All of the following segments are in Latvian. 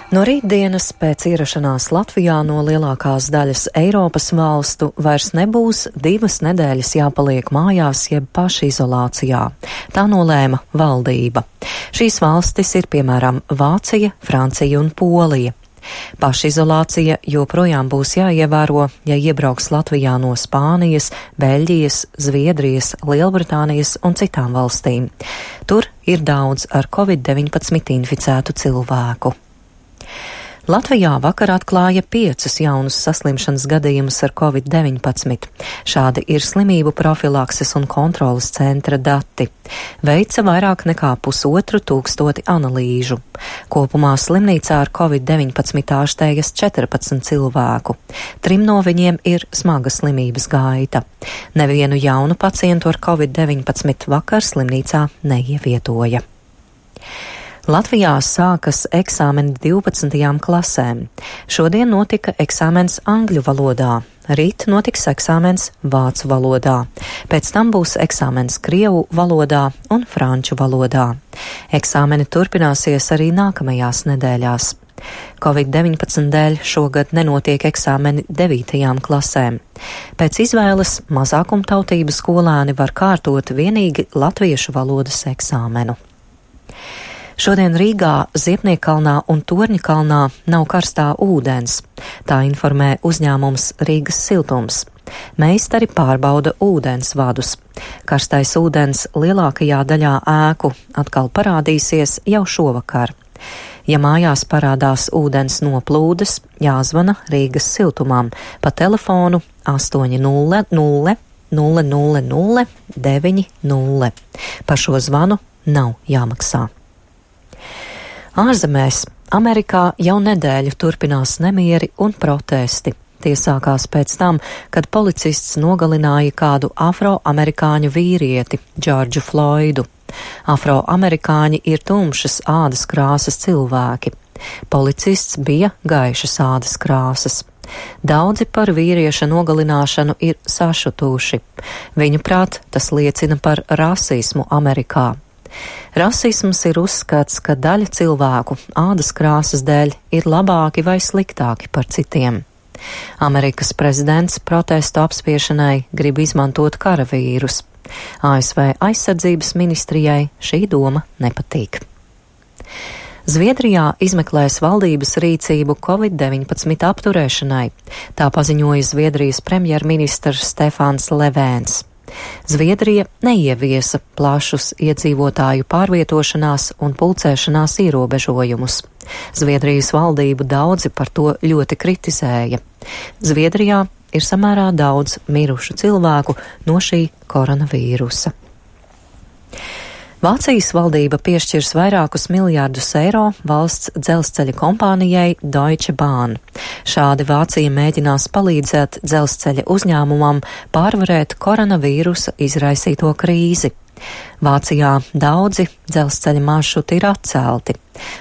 No rītdienas pēc ierašanās Latvijā no lielākās daļas Eiropas valstu vairs nebūs 2 nedēļas jāpaliek mājās jeb pašizolācijā. Tā nolēma valdība. Šīs valstis ir piemēram Vācija, Francija un Polija. Pašizolācija joprojām būs jāievēro, ja iebrauks Latvijā no Spānijas, Beļģijas, Zviedrijas, Lielbritānijas un citām valstīm. Tur ir daudz ar Covid-19 inficētu cilvēku. Latvijā vakar atklāja 5 jaunus saslimšanas gadījumus ar Covid-19. Šādi ir slimību profilakses un kontrolas centra dati. Veica vairāk nekā 1500 analīžu. Kopumā slimnīcā ar Covid-19 ārstējas 14 cilvēku. 3 no viņiem ir smaga slimības gaita. Nevienu jaunu pacientu ar Covid-19 vakar slimnīcā neievietoja. Latvijā sākas eksāmeni 12. klasēm. Šodien notika eksāmens angļu valodā, rīt notiks eksāmens vācu valodā, pēc tam būs eksāmens krievu valodā un franču valodā. Eksāmeni turpināsies arī nākamajās nedēļās. Covid-19 dēļ šogad nenotiek eksāmeni 9. klasēm. Pēc izvēles mazākumtautību skolēni var kārtot vienīgi latviešu valodas eksāmenu. Šodien Rīgā, Ziepniekkalnā un Torņakalnā nav karstā ūdens. Tā informē uzņēmums Rīgas Siltums. Meistari pārbauda ūdens vadus. Karstais ūdens lielākajā daļā ēku atkal parādīsies jau šovakar. Ja mājās parādās ūdens noplūdes, jāzvana Rīgas Siltumam pa telefonu 800 000 90. Par šo zvanu nav jāmaksā. Ārzemēs, Amerikā jau nedēļu turpinās nemieri un protesti. Tie sākās pēc tam, kad policists nogalināja kādu afroamerikāņu vīrieti, Džordžu Floidu. Afroamerikāņi ir tumšas ādas krāsas cilvēki. Policists bija gaišas ādas krāsas. Daudzi par vīrieša nogalināšanu ir sašutuši. Viņuprāt, tas liecina par rasismu Amerikā. Rasisms ir uzskats, ka daļa cilvēku ādas krāsas dēļ ir labāki vai sliktāki par citiem. Amerikas prezidents protestu apspiešanai grib izmantot karavīrus. ASV aizsardzības ministrijai šī doma nepatīk. Zviedrijā izmeklēs valdības rīcību Covid-19 apturēšanai. Tā paziņoja Zviedrijas premjerministrs Stefans Levēns. Zviedrija neieviesa plašus iedzīvotāju pārvietošanās un pulcēšanās ierobežojumus. Zviedrijas valdību daudzi par to ļoti kritizēja. Zviedrijā ir samērā daudz mirušu cilvēku no šī koronavīrusa. Vācijas valdība piešķirs vairākus miljārdus eiro valsts dzelzceļa kompānijai Deutsche Bahn. Šādi Vācija mēģinās palīdzēt dzelzceļa uzņēmumam pārvarēt koronavīrusa izraisīto krīzi. Vācijā daudzi dzelzceļa maršruti ir atcelti.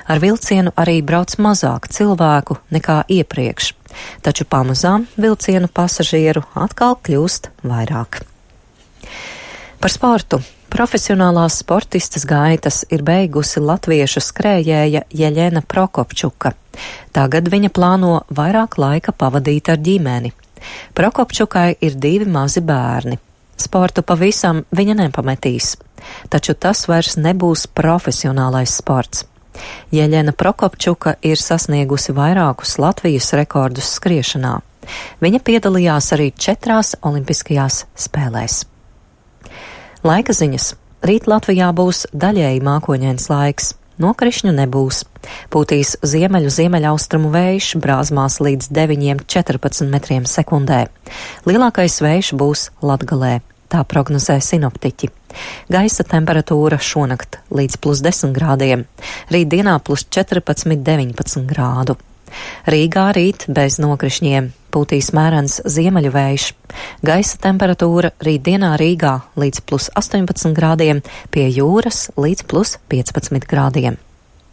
Ar vilcienu arī brauc mazāk cilvēku nekā iepriekš, taču pamazām vilcienu pasažieru atkal kļūst vairāk. Par sportu. Profesionālās sportistas gaitas ir beigusi latviešu skrējēja Jeļena Prokopčuka. Tagad viņa plāno vairāk laika pavadīt ar ģimeni. Prokopčukai ir 2 mazi bērni. Sportu pavisam viņa nepametīs, taču tas vairs nebūs profesionālais sports. Jeļena Prokopčuka ir sasniegusi vairākus Latvijas rekordus skriešanā. Viņa piedalījās arī 4 olimpiskajās spēlēs. Laika ziņas. Rīt Latvijā būs daļēji mākoņains laiks. Nokrišņu nebūs. Pūtīs ziemeļaustrumu vējš brāzmās līdz 9–14 metriem sekundē. Lielākais vējš būs Latgalē. Tā prognozē sinoptiķi. Gaisa temperatūra šonakt līdz +10 grādiem. Rītdienā +14–19 grādu. Rīgā rīt bez nokrišņiem. Pūtīs mērens ziemeļu vējš. Gaisa temperatūra rītdienā Rīgā līdz +18 grādiem, pie jūras līdz +15 grādiem.